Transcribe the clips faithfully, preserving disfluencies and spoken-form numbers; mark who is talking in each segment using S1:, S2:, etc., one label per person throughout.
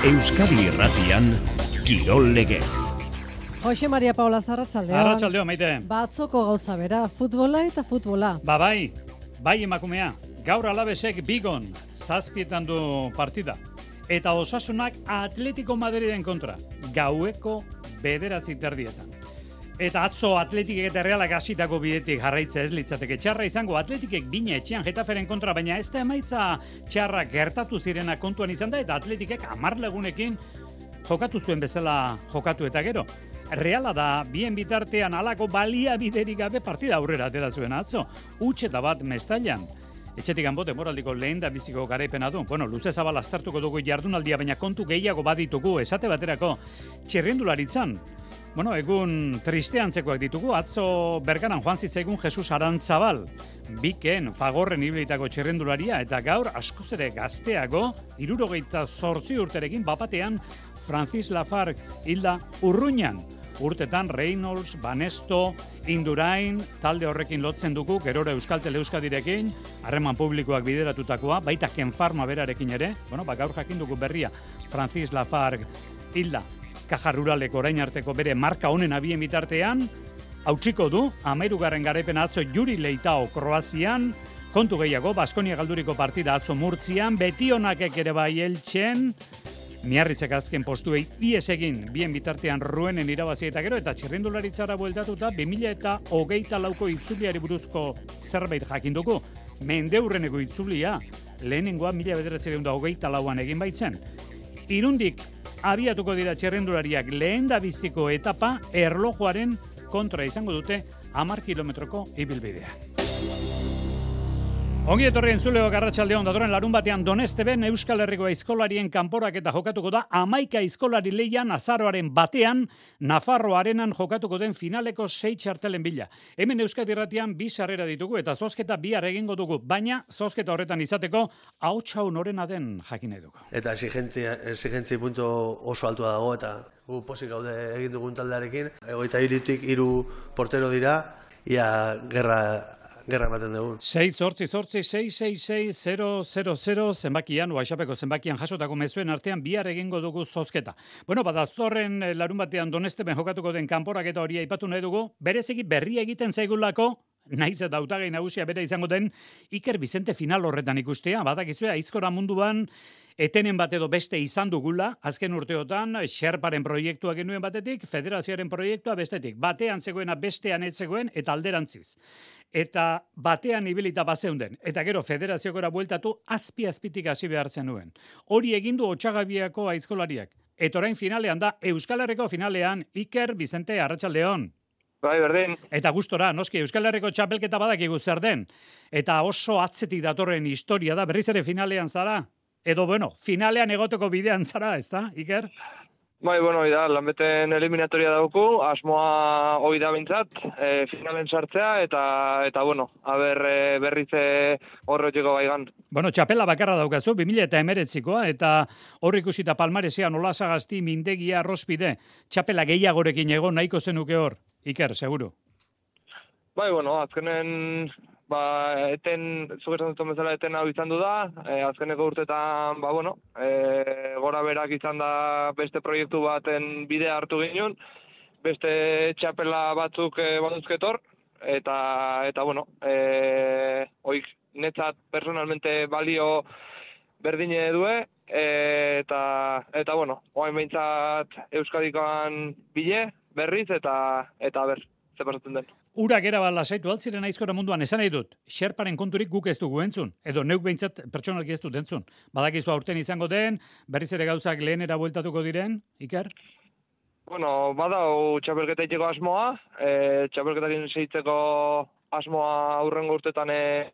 S1: Euskadi Irratian Kirol Legez.
S2: Jose Maria Paula Arratsaldeon.
S3: Arratsaldeon, maite.
S2: Batzoko gauza bera, futbola eta futbola.
S3: Ba bai, bai emakumea. Gaur Alavesek Bigon zazpietan du partida. Eta Osasunak Atletico Madriden kontra. Gaueko bederatzi terdietan. Eta atzo Atletikek eta Realak hasitako bidetik jarraitza ez litzateke txarra izango. Atletikek bine etxean Getaferen kontra, baina ez da emaitza txarra gertatu zirena kontuan izan da, eta Atletikek hamar lagunekin jokatu zuen bezala jokatu eta gero. Reala da bien bitartean halako baliabiderik gabe partida aurrera atera zuen atzo. Huts eta bat Mestailan. Etxetik hanbo demoraldiko lehen da biziko garaipena du. Bueno, luze zabal aztertuko dugu jardunaldia, baina kontu gehiago baditugu, esate baterako txirrindularitzan. Bueno, egun tristeantzekoak ditugu, atzo Bergaran joan zitzaigun Jesus Arantzabal, Biken, Fagorren ibilitako txirrindularia, eta gaur askoz ere gazteago, hirurogeita zortzi urterekin bapatean Francis Lafargue hilda Urruñan. Urtetan Reynolds, Banesto, Indurain, talde horrekin lotzen dugu, gerora Euskaltel Euskadirekin, harreman publikoak bideratutakoa, baita Ken Pharma berarekin ere, bueno, ba, gaur jakin dugu berria, Francis Lafargue hilda. Kaja Ruralek orain arteko bere marka honen abien bitartean, hautsiko du, hamahirugarren garaipen atzo Juri Leitao Kroazian, kontu gehiago, Baskonia galduriko partida atzo Murtzian, Betionakek ere bai Eltsen, Miarritzek azken postuei ies egin bien bitartean Ruenen irabazi eta gero, eta txirrindularitzara bueltatuta bi mila hogeita lauko itzuliari buruzko zerbait jakin dugu. Mendeurreneko itzulia, lehenengoa mila bederatziehun eta hogeita lauan egin baitzen. Irundik abiatuko dira txirrindulariak lehen da biziko etapa erlojuaren kontra izango dute hamar kilometroko ibilbidea. Ongi etorri entzuleok arratsaldeon, datorren larun batean Donesteben Euskal Herriko aizkolarien kanporak eta jokatuko da hamaika aizkolari leian azaroaren batean Nafarroa Arenan jokatuko den finaleko sei txartelen bila. Hemen Euskadi Irratian bi sarrera ditugu eta zozketa bihar egingo dugu, baina zozketa horretan izateko ahotsa norena den jakin nahi dugu.
S4: Eta exigentzia, exigentzia punto oso altua dago eta gu posik gaude egin dugun taldearekin. Egoita hiritik hiru portero dira, ia gerra Gerra ematen dugu.
S3: sei zortzi zortzi sei sei sei zero zero zero zenbakian, WhatsAppeko zenbakian jasotako mezuen artean bihar egingo dugu zozketa. Bueno, badaztorren larun batean Donesteben jokatuko den kanporak eta hori aipatu nahi dugu, bereziki berria egiten zaigulako, naiz eta hautagai nagusia bere izango den Iker Bizente final horretan ikustea, badakizue aizkora munduan etenen bat edo beste izan dugula, azken urteotan, Sherparen proiektua genuen batetik, federazioaren proiektua bestetik. Batean zegoena bestean ez zegoen eta alderantziz. Eta batean ibilita bazeunden. Eta gero federaziokora bueltatu azpi-azpitik hasi behar zenuen. Hori egindu Otsagabiako aizkolariak. Eta orain finalean da, Euskal Herriko finalean, Iker Bizente arratsaldeon.
S5: Bai, berdin.
S3: Eta gustora, noski, Euskal Herriko txapelketa badakigu zer den. Eta oso atzetik datorren historia da, berriz ere finalean zara? Edo, bueno, finalean egoteko bidean zara, ez da, Iker?
S5: Bai, bueno, oida, lanbeten eliminatoria dauku, asmoa hoi da bintzat, e, finalen sartzea, eta, eta bueno, haber e, berriz horretiko baigan.
S3: Bueno, txapela bakarra daukazu, bi mila hemeretzikoa, eta hor ikusita Palmaresean Olasagasti, Mindegia, Arrospide, txapela gehiagorekin egon nahiko zenuke hor, Iker, seguru?
S5: Bai, bueno, azkenen... Ba, eten, zuk esan duten bezala eten hau izan du da, e, azkeneko urtetan, ba, bueno, e, gora berak izan da beste proiektu baten bidea hartu ginen, beste txapela batzuk e, baduzketor, eta, eta bueno, e, oik netzat personalmente balio berdine due, e, eta, eta bueno, oain behintzat Euskadikoan bile, berriz, eta, eta ber, ze pasatzen den.
S3: Urak era bat lasaitu altziren aizkora munduan esan nahi dut. Sherparen konturik guk ez dugu entzun. Edo neuk behintzat pertsonalki ez dut entzun. Badakizu aurten izango den, berriz ere gauzak lehenera bueltatuko diren, Iker?
S5: Bueno, badau txapelketa itxeko asmoa, e, txapelketakin seitzeko asmoa aurrengo urtetan e,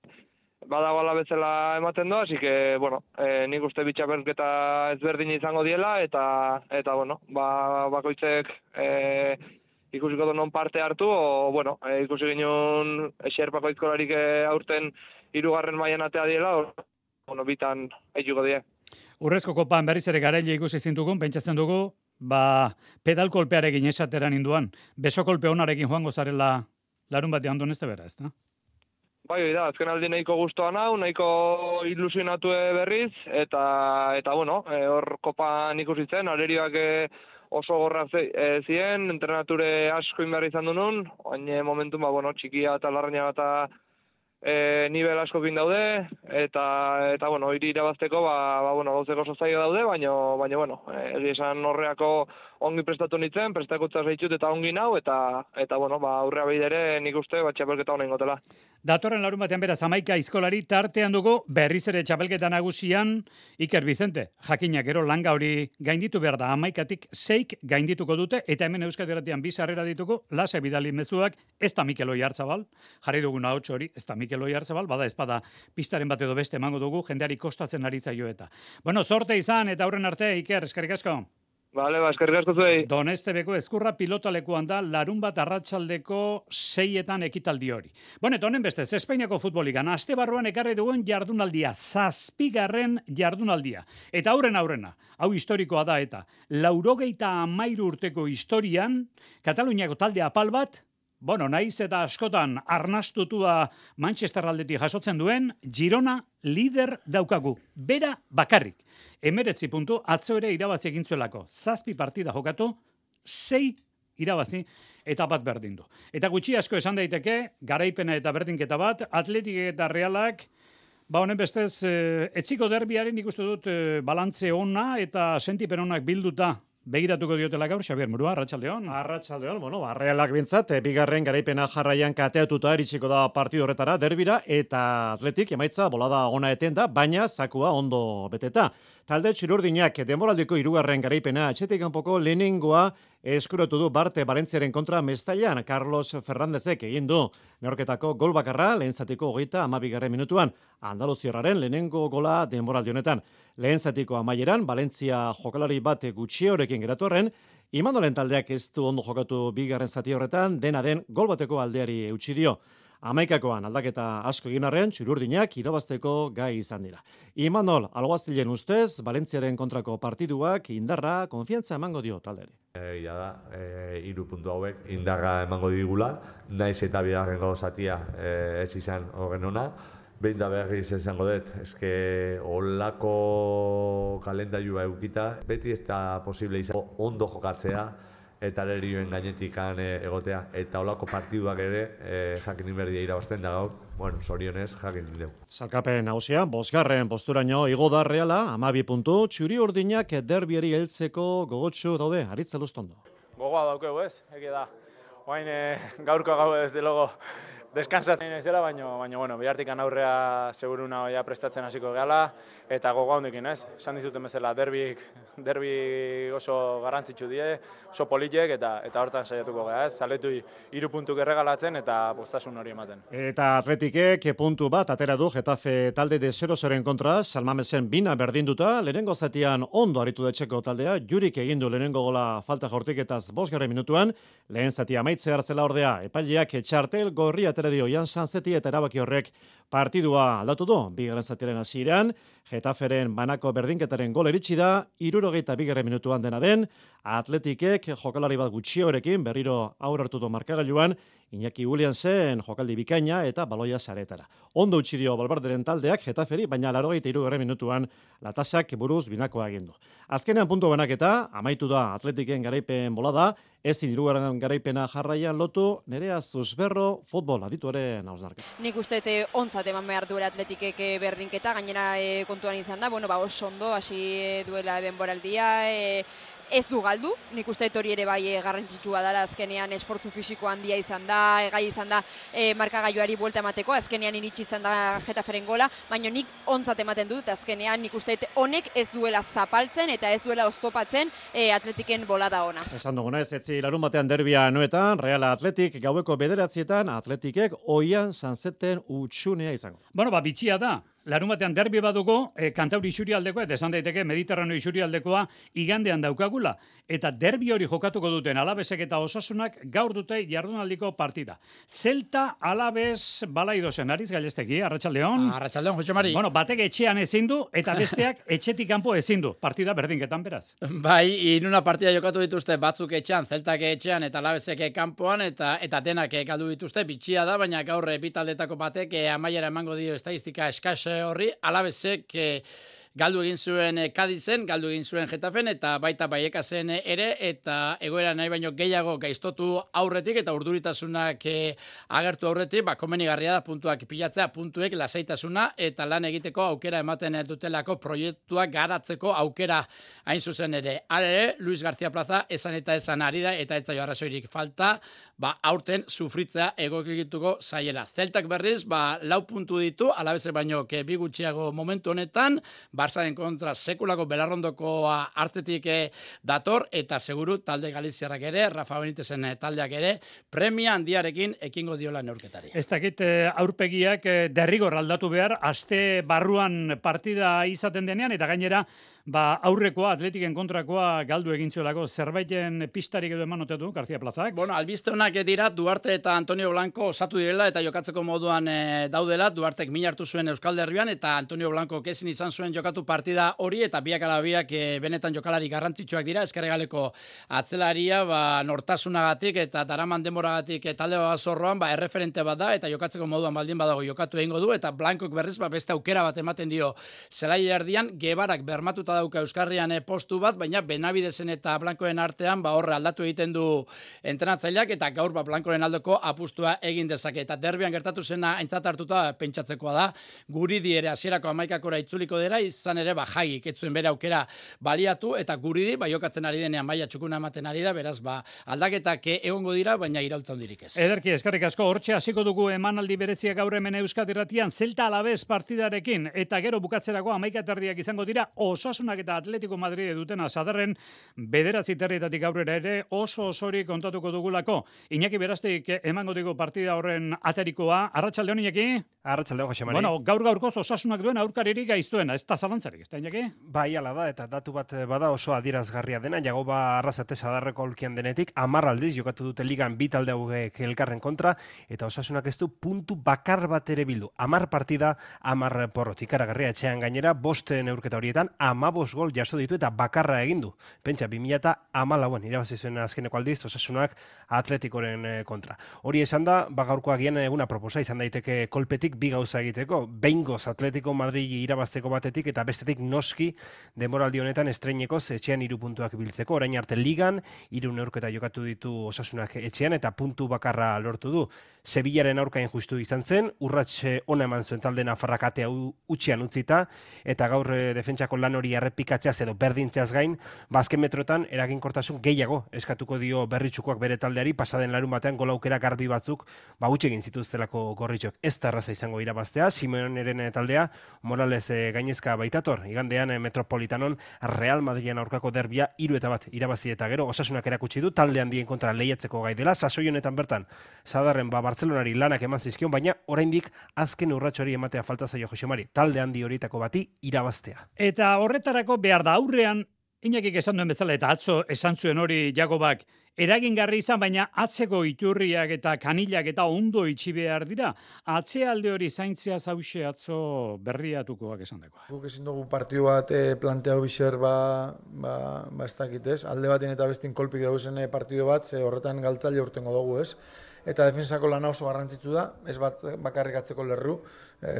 S5: badago ala bezala ematen doa, así que, bueno, e, nik uste bi txapelketa ezberdin izango diela, eta, eta bueno, ba, bakoitzek... E, ikusiko du non parte hartu, o, bueno, e, ikusi ginen Xerpako aizkolarik e, aurten hirugarren mailan atea diela, o, bueno, bitan eituko die.
S3: Urrezko kopan berriz ere garaile ikusi zintugun, pentsatzen dugu, ba, pedal kolpearekin esateran induan, beso kolpe onarekin joango zarela larun batean Donestebera, ez da?
S5: Bai, da, azken aldi nahiko gustoan hau, nahiko ilusionatu berriz, eta, eta bueno, e, hor kopan ikusi zen, arerioak e, oso gorra e, ziren, entrenature asko inberri izan du nun, baina momentu, ba, bueno, txikia eta larraina eta e, nivel askokin daude, eta, eta bueno, hiri irabazteko, ba, ba, bueno, gauzeko oso zaila daude, baina, baina, bueno, egi esan horreako ongi prestatu nintzen, prestakutza zaitut eta ongi nau, eta, eta bueno, ba, aurrea behidere nik uste, ba, txapelketa honen gotela.
S3: Datorren larun batean beraz hamaika aizkolari tartean dugu berriz ere txapelketa nagusian Iker Vicente. Jakina gero langa hori gainditu behar da hamaikatik seik gaindituko dute eta hemen Euskadi Irratian bi sarrera dituko lase bidali mezuak ez da Mikel Oiartzabal, jarri duguna hots hori, ez da Mikel Oiartzabal, bada ezpada pistaren bat edo beste emango dugu jendeari kostatzen ari zaio eta. Bueno, sorte izan eta aurren arte Iker, eskerrik asko.
S5: Bale, ba, eskerrik asko zuei.
S3: Donestebeko Ezkurra pilotalekuan da larun bat arratsaldeko seietan ekitaldi hori. Bueno, eta honen bestez, Espainiako futboligan, aste barruan ekarri duen jardunaldia, zazpigarren jardunaldia. Eta aurren aurrena, hau historikoa da eta, laurogeita amairu urteko historian, Kataluniako talde apal bat, bueno, naiz eta askotan arnastutua Manchester aldetik jasotzen duen, Girona lider daukagu, bera bakarrik. Emeretzi puntu, atzo ere irabazi egin zuelako. Zazpi partida jokatu, sei irabazi eta bat berdin du. Eta gutxi asko esan daiteke, garaipena eta berdinketa bat, Atletik eta Realak, ba honen bestez, e, etziko derbiaren ikustu dut e, balantze ona eta sentipen onak bilduta begiratuko diotela gaur, Xabier Murua, Arratsaldeon.
S6: Arratsaldeon, bueno, Realak bintzat, bigarren garaipena jarraian kateatuta iritsiko da partidu horretara, derbira, eta Atletik emaitza bolada ona eten da, baina zakua ondo beteta. Talde txirurdinak denboraldiko hirugarren garaipena atxetik kanpoko lehenengoa eskuratu du Barte Balentziaren kontra Mestaian. Carlos Fernándezek egin du neorketako gol bakarra lehen zatiko hogeita hamabigarren minutuan. Andaluziarraren lehenengo gola denboraldi honetan. Lehen zatiko amaieran Valentzia jokalari bat gutxiorekin geratu horren, Imanolen taldeak ez du ondo jokatu bigarren zati horretan, dena den gol bateko aldeari eutsi dio. Hamaikakoan aldaketa asko egin arren, txururdinak irabazteko gai izan dira. Imanol, alguazilen ustez, Valentziaren kontrako partiduak indarra, konfiantza emango dio talderi.
S7: Egia da, e, hiru puntu hauek indarra emango digula, naiz eta bigarrengo zatia e, ez izan horren ona. Behin da berriz esango dut, eske olako kalendarioa eukita, beti ez da posible izan ondo jokatzea, eta alerioen gainetik egotea, eta olako partiduak ere e, jakin inberdia irabazten da gaur, bueno, zorionez jakin indeu.
S6: Salkapen nagusia, bosgarren posturaino igo da Reala, hamabi puntu, txuri urdinak derbieri heltzeko gogotsu daude, Aritz Elustondo.
S8: Gogoa daukegu ez, eke da. Oain e, gaurko gau ez logo deskansatzen ez dela, baina, baina bueno, bihartikan aurrea seguruna ja prestatzen hasiko gehala, eta gogoa hondekin ez. Esan dizuten bezala, derbik, derbi oso garrantzitsu die, oso politek, eta eta hortan saiatuko geha ez. Zaletu hiru puntuk erregalatzen eta postasun hori ematen.
S6: Eta Atletikek puntu bat atera du Getafe talde de zerozoren kontra, Salmamesen bina berdinduta, lehenengo zatian ondo aritu detxeko taldea, Jurik egin du lehenengo gola falta jortiketaz bosgarren minutuan, lehen zatia amaitze hartzela ordea, epaileak txartel gorri atera dio Jan Sanzeti eta erabaki horrek partidua aldatu du. Bigarren zatiaren hasieran, Getaferen banako berdinketaren gol eritsi da, hirurogeita bigarren minutuan dena den, Atletikek jokalari bat gutxiorekin berriro aurre hartu du markagailuan, Iñaki Williamsen jokaldi bikaina eta baloia saretara. Ondo utzi dio Balbarderen taldeak Getaferi, baina laurogeita hirugarren minutuan latasak buruz binakoa egin du. Azkenean puntu banaketa, amaitu da Atletiken garaipen bolada, ezin hirugarren garaipena jarraian lotu, Nerea Zuzberro futbol adituaren hausnarketa.
S9: Nik uste ontzat eman behar duela Atletikek berdinketa, gainera e, kontuan izan da, bueno, ba, oso ondo hasi duela denboraldia, e, ez du galdu, nik uste hori ere bai garrantzitsua dela, azkenean esfortzu fisiko handia izan da, gai izan da e, markagailuari buelta emateko, azkenean iritsi izan da Getaferen gola, baina nik ontzat ematen dut, azkenean nik uste honek ez duela zapaltzen eta ez duela oztopatzen e, Atletiken bolada ona.
S6: Esan duguna ez, etzi larun batean derbia noetan, Reala Atletik gaueko bederatzietan Atletikek oian Sanzeten utxunea izango.
S3: Bueno, ba, bitxia da. larun batean derbi baduko, e, Kantauri isurialdekoa, eta esan daiteke Mediterraneo isurialdekoa igandean daukagula. Eta derbi hori jokatuko duten Alabesek eta Osasunak gaur dute jardunaldiko partida. Zelta Alabes Balaidosen, Ariz Gailestegi, Arratsaldeon.
S10: Arratsaldeon, Jose Mari.
S3: Bueno, batek etxean ezin du, eta besteak etxetik kanpo ezin du. Partida berdinketan beraz.
S10: Bai, inuna partida jokatu dituzte batzuk etxean, Zeltak etxean eta Alabesek kanpoan, eta eta denak galdu dituzte, bitxia da, baina gaur bitaldetako batek eh, amaiera emango dio estadistika eskas horri, Alabesek eh, galdu egin zuen Kadizen, galdu egin zuen Getafen, eta baita Baiekasen ere, eta egoera nahi baino gehiago gaiztotu aurretik, eta urduritasunak eh, agertu aurretik, ba, komenigarria da puntuak pilatzea, puntuek lasaitasuna, eta lan egiteko aukera ematen dutelako proiektuak garatzeko aukera hain zuzen ere. Hala ere, Luis García Plaza esan eta esan ari da, eta ez zaio arrazoirik falta, ba, aurten sufritzea egokituko zaiela. Zeltak berriz, ba, lau puntu ditu, Alabese baino ke bi gutxiago momentu honetan, Barsaren kontra sekulako belarrondokoa hartetik dator, eta seguru talde galiziarrak ere, Rafa Benitezen taldeak ere, premia handiarekin ekingo diola neurketari.
S3: Ez dakit aurpegiak derrigor aldatu behar, aste barruan partida izaten denean, eta gainera, ba, aurrekoa, Atletiken kontrakoa galdu egin zuelako, zerbaiten pistarik edo eman ote du, García Plazak?
S10: Bueno, albiste honak dira, Duarte eta Antonio Blanco osatu direla, eta jokatzeko moduan e, daudela, Duartek min hartu zuen Euskal Derbian, eta Antonio Blanco kezin izan zuen jokatu partida hori, eta biak ala biak e, benetan jokalari garrantzitsuak dira, eskerregaleko atzelaria, ba, nortasunagatik eta daraman demoragatik e, talde bat zorroan, ba, erreferente bat da, eta jokatzeko moduan baldin badago jokatu egingo du, eta Blancok berriz, ba, beste aukera bat ematen dio zelai erdian, Gebarak bermatuta dauka Euskarrian postu bat, baina Benavidesen eta Blancoen artean ba horre aldatu egiten du entrenatzaileak, eta gaur ba Blancoren aldoko apustua egin dezake. Eta derbian gertatu zena aintzat hartuta pentsatzekoa da, Guridi ere hasierako hamaikakora itzuliko dela, izan ere ba Jagik ez zuen bere aukera baliatu, eta Guridi ba jokatzen ari denean maila txukuna ematen ari da, beraz ba aldaketak egongo dira, baina iraultza handirik ez.
S3: Ederki, eskerrik asko, hortxe hasiko dugu emanaldi bereziak gaur hemen Euskadi Irratian, Zelta Alabes partidarekin, eta gero bukatzerako hamaika terdiak izango dira, Osasunak eta Atletico Madrid dutena sadarren bederatzi terrietatik aurrera ere oso osori kontatuko dugulako. Iñaki Beraztik emango digu partida horren aterikoa. Arratsaldeon, Iñaki?
S11: Arratsaldeon, Jose Mari.
S3: Bueno, gaur gaurkoz Osasunak duen aurkaririk gaiztuena, ez da zalantzarik, ez da, Iñaki?
S11: Bai, ala da, eta datu bat bada oso adierazgarria dena, Jagoba Arrasate sadarreko aulkian denetik, hamar aldiz jokatu dute ligan bi talde hauek elkarren kontra, eta Osasunak ez du puntu bakar bat ere bildu. hamar partida, hamar porrot. Ikaragarria etxean gainera, bost neurketa horietan, hamabost gol jaso ditu eta bakarra egin du. Pentsa, bi mila hamalauan irabazi zuen azkeneko aldiz Osasunak Atletikoren kontra. Hori esan da, bagaurkoa gian eguna proposa izan daiteke kolpetik bi gauza egiteko. Behingoz Atletico Madrid irabazteko batetik eta bestetik noski denboraldi honetan estreinekoz etxean hiru puntuak biltzeko. Orain arte ligan hiru neurketa jokatu ditu Osasunak etxean eta puntu bakarra lortu du. Sevillaren aurka injustu izan zen, urratxe ona eman zuen talde nafarrak atea utxian utzita, eta gaur defentsako lan hori errepikatzeaz edo berdintzeaz gain, bazken metrotan eraginkortasun gehiago eskatuko dio berritxukoak bere taldeari, pasaden larun batean gola aukera garbi batzuk ba utzi egin zituztelako gorritxok. Ez da erraza izango irabaztea, Simeoneren taldea Morales gainezka baitator, igandean Metropolitanon Real Madrilen aurkako derbia hiru eta bat irabazi eta gero Osasunak erakutsi du talde handien kontra lehiatzeko gai dela, sasoi honetan bertan sadarren ba Bartzelonari lanak eman zizkion, baina oraindik azken urratxori ematea falta zaio Jose Mari, talde handi horietako bati irabaztea.
S3: Eta horretarako behar da aurrean, Iñakik esan duen bezala, eta atzo esan zuen hori Jakobak, eragingarri izan, baina atzeko iturriak eta kanilak eta ondo itxi behar dira. Atzealde hori zaintzea zauxe atzo berriatukoak esan dagoa.
S12: Guk ezin dugu partidu bat e, planteau bizer ba, ba, ba ez dakit ez. Alde baten eta bestin kolpik dauzen partidu bat, ze horretan galtzaile urtengo dugu ez. Eta defensako lana oso garrantzitsu da, ez bat bakarrik atzeko lerru, e,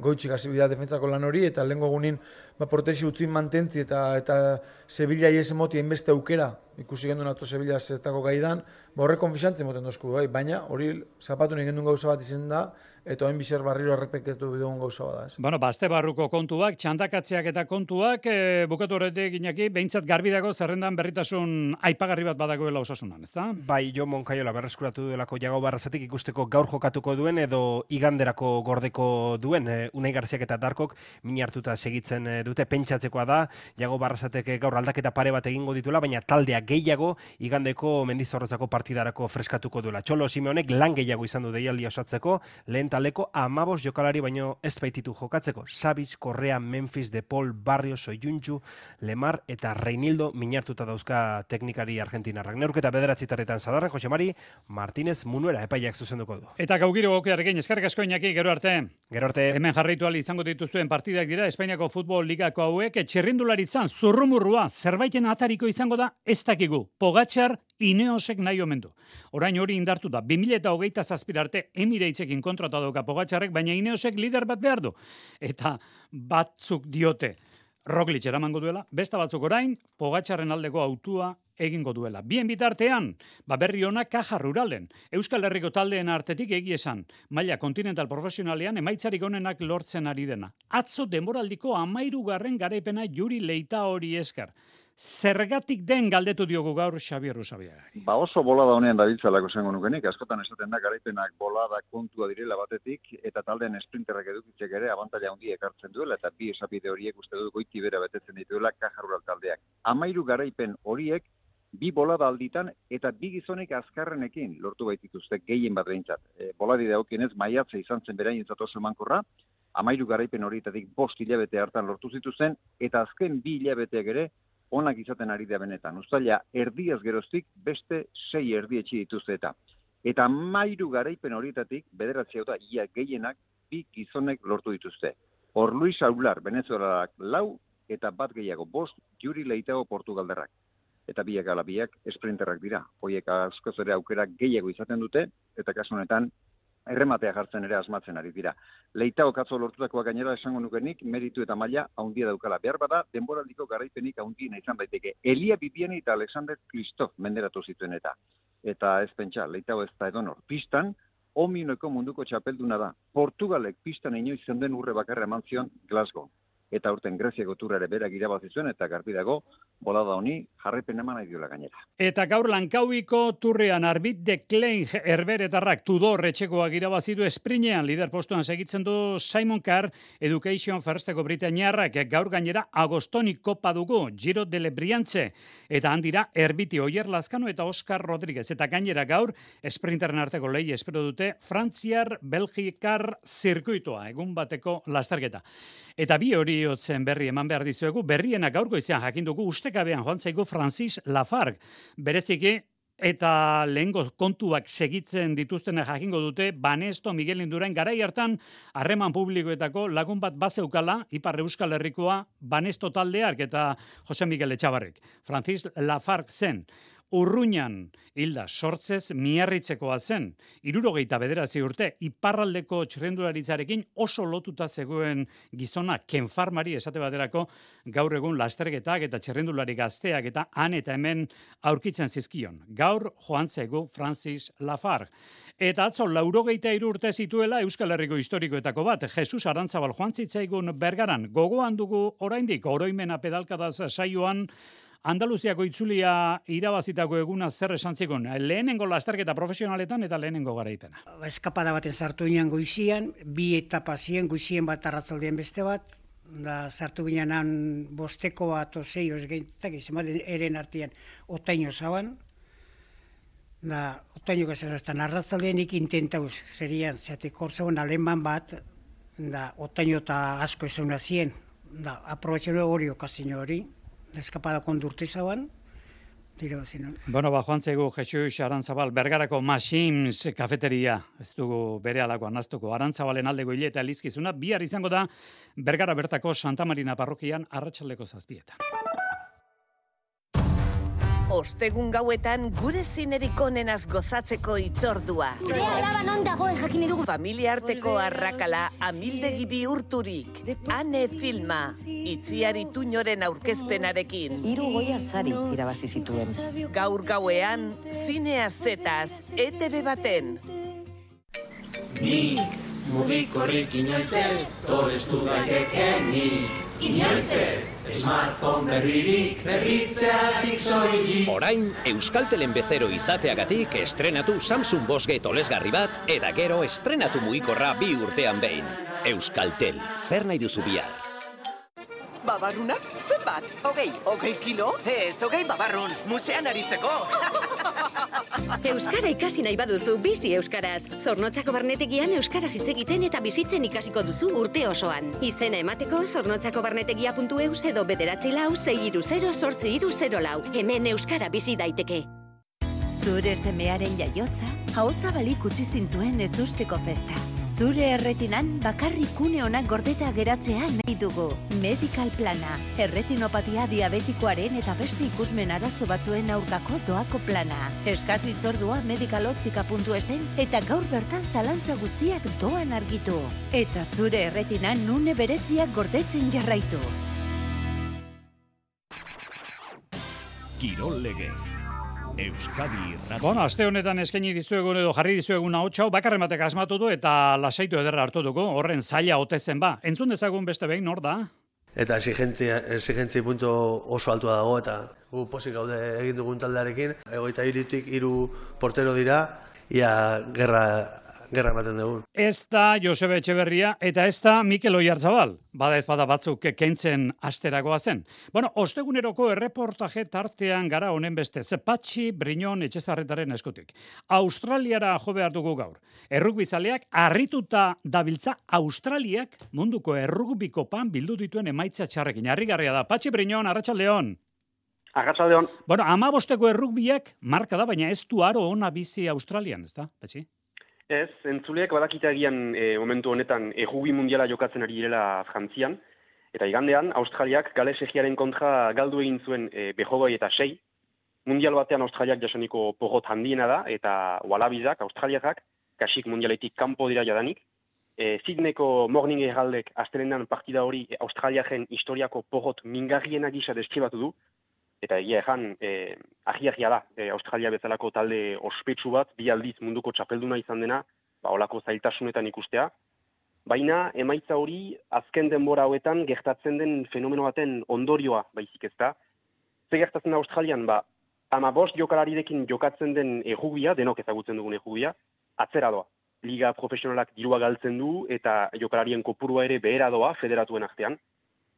S12: goitxik hasi bida defensako lan hori, eta lehenko egunin ba, protesi utzin mantentzi eta eta Sevilla ies emoti hainbeste aukera, ikusi gendun atzo Sevilla zertako gaidan, ba, horre konfixantzi moten dozku, bai, baina hori zapatu nik gendun gauza bat izan da, eta oin bizer barriro errepeketu bidegun gauza bat da. Ez.
S3: Bueno, bazte barruko kontuak, txandakatzeak eta kontuak, e, bukatu horretik Iñaki, behintzat garbi dago zerrendan berritasun aipagarri bat badagoela Osasunan, ez da?
S11: Bai, Jo Moncayola berreskuratu duelako Jagoba Arrasatik ikusteko gaur jokatuko duen edo iganderako gordeko duen. E, Unai Garziak eta Darkok min hartuta segitzen dute, pentsatzekoa da, Jagoba Arrasatek gaur aldaketa pare bat egingo dituela, baina taldea gehiago igandeko Mendizorrotzako partidarako freskatuko duela. Txolo Simeonek lan gehiago izan du deialdia osatzeko, lehen taldeko amabos jokalari baino ez baititu jokatzeko. Savic, Correa, Memphis, De Paul, Barrio, Soyuncu, Lemar eta Reinildo minartuta dauzka teknikari argentinarrak. Neurketa bederatzitarretan zadarren, Jose Mari Martínez Munuera epaiak zuzenduko du.
S3: Eta gaugiro gokearekin eskarrik asko Iñaki, gero arte.
S11: Gero arte.
S3: Hemen jarraitu ahal izango dituzuen partidak dira Espainiako futbol ligako hauek, txirrindularitzan zurrumurrua zerbaiten atariko izango da ez dakigu. Pogačar Ineosek nahi omen du. Orain hori indartu da, bi mila hogeita zazpira arte Emiratesen kontrata dauka Pogačarrek, baina Ineosek lider bat behar du. Eta batzuk diote Roglic eramango duela, besta batzuk orain Pogačarren aldeko autua egingo duela. Bien bitartean, ba berri ona Caja Ruralen. Euskal Herriko taldeen artetik egi esan, maila kontinental profesionalean emaitzarik onenak lortzen ari dena. Atzo denboraldiko amairugarren garaipena Juri Leita hori esker. Zergatik den galdetu diogu gaur Xabier Usabiagari.
S13: Ba oso bolada honean dabiltzalako zengo nukenik, askotan esaten da garaipenak bolada kontua direla batetik, eta taldeen esprinterrak edukitzek ere abantaila handia ekartzen duela, eta bi esapide horiek uste dut goiti bera betetzen dituela Caja Rural taldeak. Amairu garaipen horiek bi bolada alditan eta bi gizonek azkarrenekin lortu baitituzte gehien bat behintzat. E, boladi dagokienez maiatza izan zen berainentzat oso emankorra, amairu garaipen horietatik bost hilabete hartan lortu zituzten, eta azken bi hilabeteak ere onak izaten ari da benetan. Uztaila erdiaz geroztik beste sei erdi etxi dituzte eta. Eta amairu garaipen horietatik bederatzi hau da ia gehienak bi gizonek lortu dituzte. Hor Luis Aular, Venezuelak lau eta bat gehiago bost Juri Leitao Portugaldarrak. Eta biak ala biak esprinterrak dira. Hoiek askoz ere aukera gehiago izaten dute, eta kasu honetan errematea jartzen ere asmatzen ari dira. Leitao katzo lortutakoa gainera esango nukenik, meritu eta maila handia daukala. Behar bada, denboraldiko garaipenik handiena izan daiteke. Elia Bibiani eta Alexander Kristof menderatu zituen eta. Eta ez pentsa, Leitao ez da edonor. Pistan, ominoeko munduko txapelduna da. Portugalek pistan inoiz zenden urre bakarra eman zion Glasgow. Eta urten Greziako turra ere berak irabazi zuen eta garbi dago bolada honi jarraipen eman nahi diola gainera.
S3: Eta gaur Lankauiko turrean Arbit de Klein Herberetarrak Tudor etxekoak irabazi du esprinean lider postuan segitzen du Simon Carr Education Firsteko Britainiarrak gaur gainera Agostoni kopa dugu Giro de Lebriantze eta handira Erbiti Oier Lazkano eta Oscar Rodríguez eta gainera gaur esprinteren arteko lehi espero dute Frantziar Belgikar zirkuitoa egun bateko lasterketa. Eta bi hori otzen berri eman behar dizuegu, berriena gaurko izan jakindugu ustekabean joan zaigu Francis Lafargue. Bereziki, eta lehengo kontuak segitzen dituztena jakingo dute, Banesto Miguel Indurain garai hartan harreman publikoetako lagun bat bazeukala, Ipar Euskal Herrikoa Banesto taldeak eta Jose Miguel Etxabarrek. Francis Lafargue zen. Urruñan hilda sortzez miarritzekoa zen. Hirurogeita bederatzi urte iparraldeko txirrindularitzarekin oso lotuta zegoen gizona kenfarmari esate baterako gaur egun lasterketak eta txirrindulari gazteak eta han eta hemen aurkitzen zizkion. Gaur joan zaigu Francis Lafargue. Eta atzo laurogeita hiru urte zituela Euskal Herriko historikoetako bat, Jesus Arantzabal joan zitzaigun Bergaran. Gogoan dugu oraindik oroimena pedalkadaz saioan Andaluziako itzulia irabazitako eguna zer esan zikon, lehenengo lasterketa profesionaletan eta lehenengo garaipena.
S14: Eskapada baten sartu ginen goizian, bi etapa ziren, goizien bat arratzaldean beste bat, da sartu ginen bosteko bat osei osgeintak, izan eren artean otaino zaban, da otaino gazeraztan arratzaldean ik intentauz, zerian, zeatek hor zaban aleman bat, da otaino eta asko ezauna zien, da aprobetxen hori okazio hori, eskapada kondurte zaban, dira bazin.
S3: Bueno, ba, joan zaigu Jesus Arantzabal, Bergarako Masims kafeteria, ez dugu bere alako anaztuko, Arantzabalen aldeko hile eta elizkizuna, bihar izango da Bergara bertako Santa Marina parrokian arratsaldeko zazpietan.
S15: Ostegun gauetan gure zinerik onenaz gozatzeko itzordua.
S16: Gure alaba non dagoen jakin dugu.
S15: Familia arteko arrakala amildegi bihurturik. Ane filma, Itziari Tuñoren aurkezpenarekin.
S17: Hiru goia sari irabazi zituen.
S15: Gaur gauean, zinea zetaz, E T B baten.
S18: Nik, mugikorrik inoiz ez, torestu daitekenik. Inoiz ez, smartphone berririk, berritzeatik soilik.
S19: Orain, Euskaltelen bezero izateagatik estrenatu Samsung bost G tolesgarri bat, eta gero estrenatu mugikorra bi urtean behin. Euskaltel, zer nahi duzu bihar?
S15: Babarrunak zenbat? Hogei, hogei kilo? Ez, hogei babarrun, musean aritzeko.
S20: Euskara ikasi nahi baduzu bizi euskaraz. Zornotzako barnetegian euskaraz hitz egiten eta bizitzen ikasiko duzu urte osoan. Izena emateko zornotzakobarnetegia puntu eus edo bederatzi lau sei hiru zero zortzi hiru zero lau. Hemen euskara bizi daiteke.
S21: Zure semearen jaiotza, ahozabalik utzi zintuen ezusteko festa. Zure erretinan bakarrik une onak gordeta geratzea nahi dugu. Medical Plana, erretinopatia diabetikoaren eta beste ikusmen arazo batzuen aurkako doako plana. Eskatu itzordua medicaloptika puntu esen eta gaur bertan zalantza guztiak doan argitu. Eta zure erretinan une bereziak gordetzen jarraitu.
S1: Kirol Legez. Euskadi Irratia.
S3: Bueno, aste honetan eskaini dizuegun edo jarri dizuegun hau bakarren batek asmatu du eta lasaitu ederra hartu dugu, horren zaila ote zen ba. Entzun dezagun beste behin, nor da?
S4: Eta exigentzia, exigentzia puntu oso altua dago eta gu posik gaude egin dugun taldearekin. Egoita hiritik hiru portero dira, ia gerra gerra ematen dugu.
S3: Ez da Josebe Etxeberria eta ez da Mikel Oiartzabal. Bada ez bada batzuk kentzen asteragoa zen. Bueno, osteguneroko erreportaje tartean gara honen beste. Patxi Briñon Etxezarretaren eskutik. Australiara jo behar dugu gaur. Errugbizaleak harrituta dabiltza Australiak munduko errugbikopan bildu dituen emaitza txarrekin. Harrigarria da. Patxi Briñon, arratsaldeon.
S22: Arratsaldeon.
S3: Bueno, amabosteko errugbiak marka da, baina ez du aro ona bizi Australian, ez da, Patxi?
S22: Ez, entzuleak badakite agian e, momentu honetan errugi mundiala jokatzen ari direla Frantzian, eta igandean Australiak Gales Egiaren kontra galdu egin zuen e, behogoi eta sei. Mundial batean Australiak jasaniko porrot handiena da, eta walabizak, Australiakak, kasik mundialetik kanpo dira jadanik. E, Sydneyko Morning Heraldek astelenan partida hori e, Australiaken historiako porrot mingarriena gisa deskribatu du, eta egia ejan, eh, ahi-ahia da, eh, Australia bezalako talde ospetsu bat, bi aldiz munduko txapelduna izan dena, ba, olako zailtasunetan ikustea. Baina, emaitza hori, azken denbora hauetan gertatzen den fenomeno baten ondorioa baizik ez da. Ze gertatzen da Australian, ba, ama bost jokalarirekin jokatzen den errugbia, denok ezagutzen dugun errugbia, atzera doa. Liga profesionalak dirua galtzen du, eta jokalarien kopurua ere behera doa federatuen artean.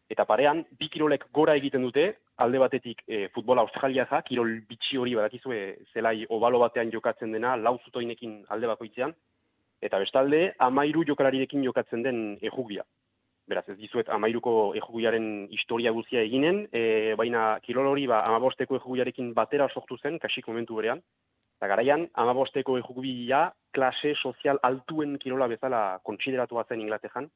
S22: Eta parean, bi kirolek gora egiten dute, alde batetik e, futbola australiaza, kirol bitxi hori badakizue zelai obalo batean jokatzen dena, lau zutoinekin alde bakoitzean, eta bestalde, amairu jokalarirekin jokatzen den errugbia. Beraz, ez dizuet amairuko errugbiaren historia guzia eginen, e, baina kirol hori ba, amabosteko errugbiarekin batera sortu zen, kasik momentu berean, eta garaian, amabosteko errugbia klase sozial altuen kirola bezala kontsideratua zen Inglaterran,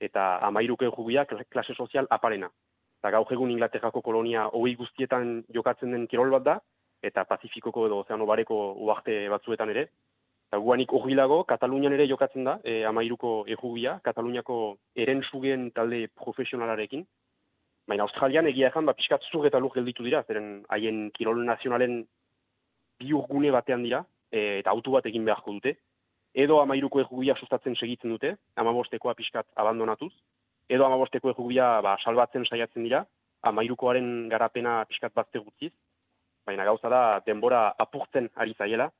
S22: eta amairuko errugbia klase sozial aparena. Eta gaur egun Inglaterrako kolonia hogei guztietan jokatzen den kirol bat da, eta Pazifikoko edo Ozeano Bareko uarte batzuetan ere. Eta guanik horrilago, Katalunian ere jokatzen da, e, amairuko errugbia, Kataluniako erentzugen talde profesionalarekin. Baina Australian egia ezan, ba, pixkat zur eta lur gelditu dira, zeren haien kirol nazionalen biurgune batean dira, e, eta autu bat egin beharko dute. Edo amairuko errugbia sustatzen segitzen dute, amabostekoa pixkat abandonatuz, edo amabosteko errugbia ba, salbatzen saiatzen dira, amairukoaren garapena pixkat bazte gutziz, baina gauza da denbora apurtzen ari zaiela,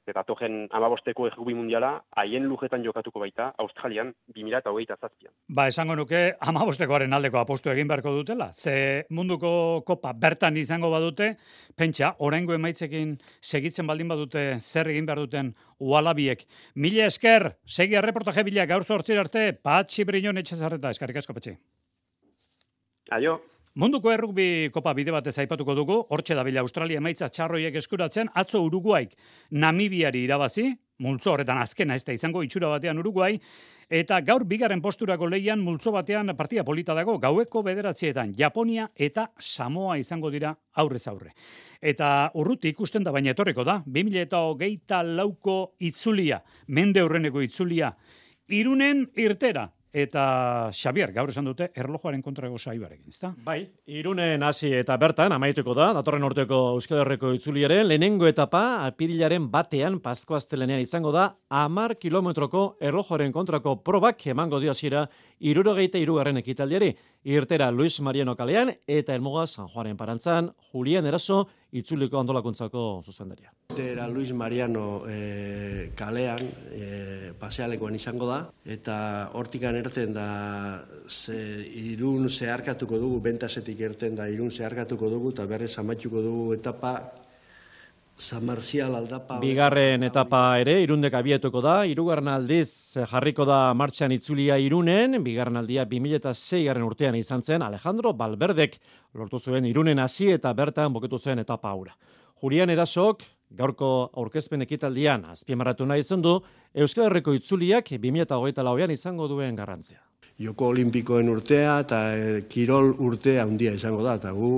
S22: eta togen amabosteko errugbi mundiala haien lujetan jokatuko baita Australian bi mila hogeita zazpian.
S3: Ba, esango nuke amabostekoaren aldeko apostu egin beharko dutela. Ze munduko kopa bertan izango badute, pentsa, oraingo emaitzekin segitzen baldin badute zer egin behar duten ualabiek. Mila esker, segi erreportaje bila gaur zortzir arte, Patxi Briñon Etxezarreta, eskarrik asko, Patxi.
S22: Aio.
S3: Munduko errugbi kopa bide batez aipatuko dugu, hortxe dabila Australia emaitza txarroiek eskuratzen, atzo Uruguaik Namibiari irabazi, multzo horretan azkena ez da izango itxura batean Uruguai, eta gaur bigarren posturako lehian multzo batean partida polita dago, gaueko bederatzietan Japonia eta Samoa izango dira aurrez aurre. Eta urruti ikusten da, baina etorriko da, bi mila hogeita lauko itzulia, mende aurreneko itzulia, Irunen irtera. Eta Xabier, gaur esan dute, erlojuaren kontrako saibarekin, ezta?
S6: Bai, Irunen hasi eta bertan, amaituko da, datorren urteko Euskal Herriko itzuliaren, lehenengo etapa, apirilaren batean, Paskoaztelenean izango da, hamar kilometroko erlojuaren kontrako probak emango dio hasiera hirurogeita hirugarren ekitaldiari. Irtera Luis Mariano kalean eta Elmuga San Juanen parantzan Julian Eraso itzuliko antolakuntzako zuzendaria.
S4: Irtera Luis Mariano e, kalean e, pasealekoan izango da eta hortikan erten da ze, Irun zeharkatuko dugu, bentasetik erten da Irun zeharkatuko dugu eta berrez amaituko dugu etapa San Marcial aldapa.
S6: Bigarren etapa ere Irundek abietuko da, hirugarren aldiz jarriko da martxan itzulia Irunen, bigarren aldia bi mila sei garren urtean izan zen Alejandro Valverdek lortu zuen Irunen hasi eta bertan buketu zen etapa hura. Julian Erasok gaurko aurkezpen ekitaldian azpimarratu nahi izan du Euskal Herriko itzuliak bi mila hogeita lauean izango duen garrantzia.
S4: Joko Olimpikoen urtea eta e, kirol urtea handia izango da eta gu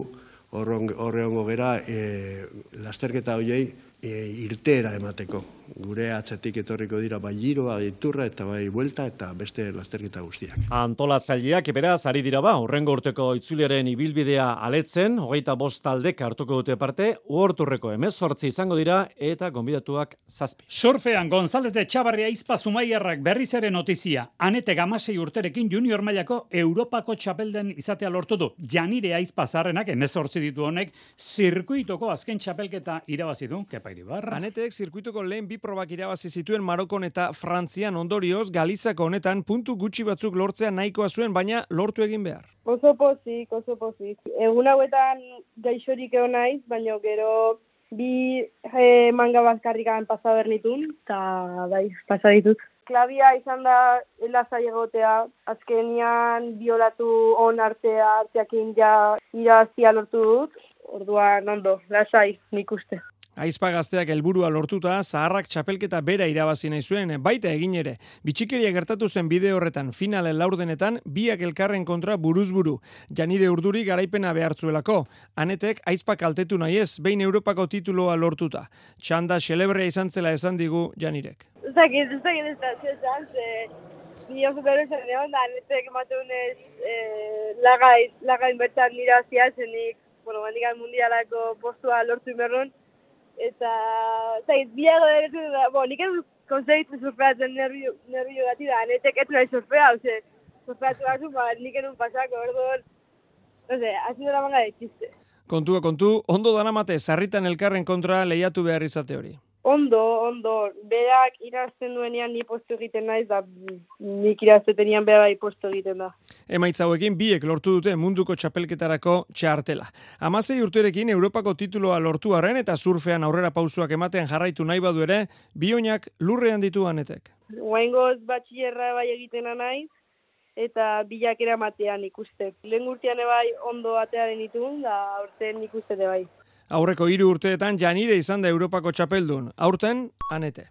S4: horre hongo gera e, lasterketa horiei e, irteera emateko. Gure atzetik etorriko dira bai giroa, iturra eta bai buelta eta beste lasterketa guztiak.
S6: Antolatzaileak beraz ari dira ba, hurrengo urteko itzuliaren ibilbidea aletzen, hogeita bost taldek hartuko dute parte, uorturreko hemezortzi izango dira eta gonbidatuak zazpi.
S3: Surfean González de Txabarria Izpa Zumaiarrak berriz ere notizia. Anete gamasei urterekin junior mailako Europako txapelden izatea lortu du. Janire Aizpa zarrenak hemezortzi ditu honek zirkuitoko azken txapelketa irabazi du. Kepa Iribarra.
S11: Anetek zirkuitoko lehen bi probak irabazi zituen Marokon eta Frantzian, ondorioz Galizako honetan puntu gutxi batzuk lortzea nahikoa zuen, baina lortu egin behar.
S2: Oso pozik, oso pozik. Egun hauetan gaixorik egon naiz, baina gero bi e, manga bazkarrikan pasa bernitun, eta bai, pasa ditut. Klabia izan da lasai egotea, azkenian biolatu on artea, arteakin ja irazia lortu dut, orduan ondo, lasai, nik uste.
S11: Aizpa gazteak helburua lortuta, zaharrak txapelketa bera irabazi nahi zuen, baita egin ere. Bitxikeria gertatu zen bide horretan, finalen laurdenetan, biak elkarren kontra buruzburu. Janire Urduri garaipena behartzuelako. Anetek Aizpa kaltetu nahi ez, behin Europako tituloa lortuta. Txanda xelebrea izan zela esan digu Janirek.
S2: Zagit, zagit ez da, zezan, ze... Ni oso bero esan egon da, Anetek ematunez lagaiz, lagain bertan irazia zenik, bueno, bandikan mundialako postua lortu inberron, eta, zait, biago eretu da, bo, nik ez konsegitzen surfeatzen nervio, nervio gati da, Anetek ez nahi surfea, oze, surfeatu gazu, ba, nik enun pasako, orduan, oze, hasi dara manga de txiste.
S11: Kontua kontu, ondo danamate, sarritan elkarren kontra lehiatu behar izate hori.
S2: Ondo, ondo, berak irazten duenean ni postu egiten naiz, da nik iraztetenian bera bai postu egiten da.
S11: Emaitza hauekin biek lortu dute munduko txapelketarako txartela. Hamasei urterekin Europako tituloa lortu arren eta surfean aurrera pausuak ematen jarraitu nahi badu ere, bioinak lurrean ditu Anetek.
S2: Oaingoz batxillerra bai egitena naiz, eta bilak eramatean ikuste. Lehen urtean bai ondo atearen ditun, da aurten ikuste bai.
S11: Aurreko hiru urteetan Janire izan da Europako txapeldun, aurten Anete.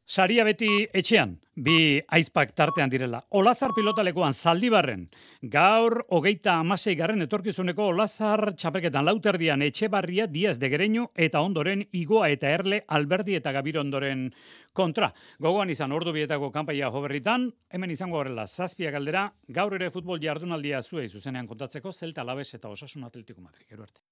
S3: Saria beti etxean, bi Aizpak tartean direla. Olazar pilotalekuan Zaldibarren, gaur hogeita hamasei garren etorkizuneko Olazar txapelketan lauterdian Etxebarria, Diaz de Gereño eta ondoren Igoa eta Erle, Alberdi eta Gabiro ondoren kontra. Gogoan izan ordu bietako kanpaia joberritan, hemen izango horrela zazpiak aldera, gaur ere futbol jardunaldia zuei zuzenean kontatzeko Zelta Alaves eta Osasun Atletico Madrid. Gero arte.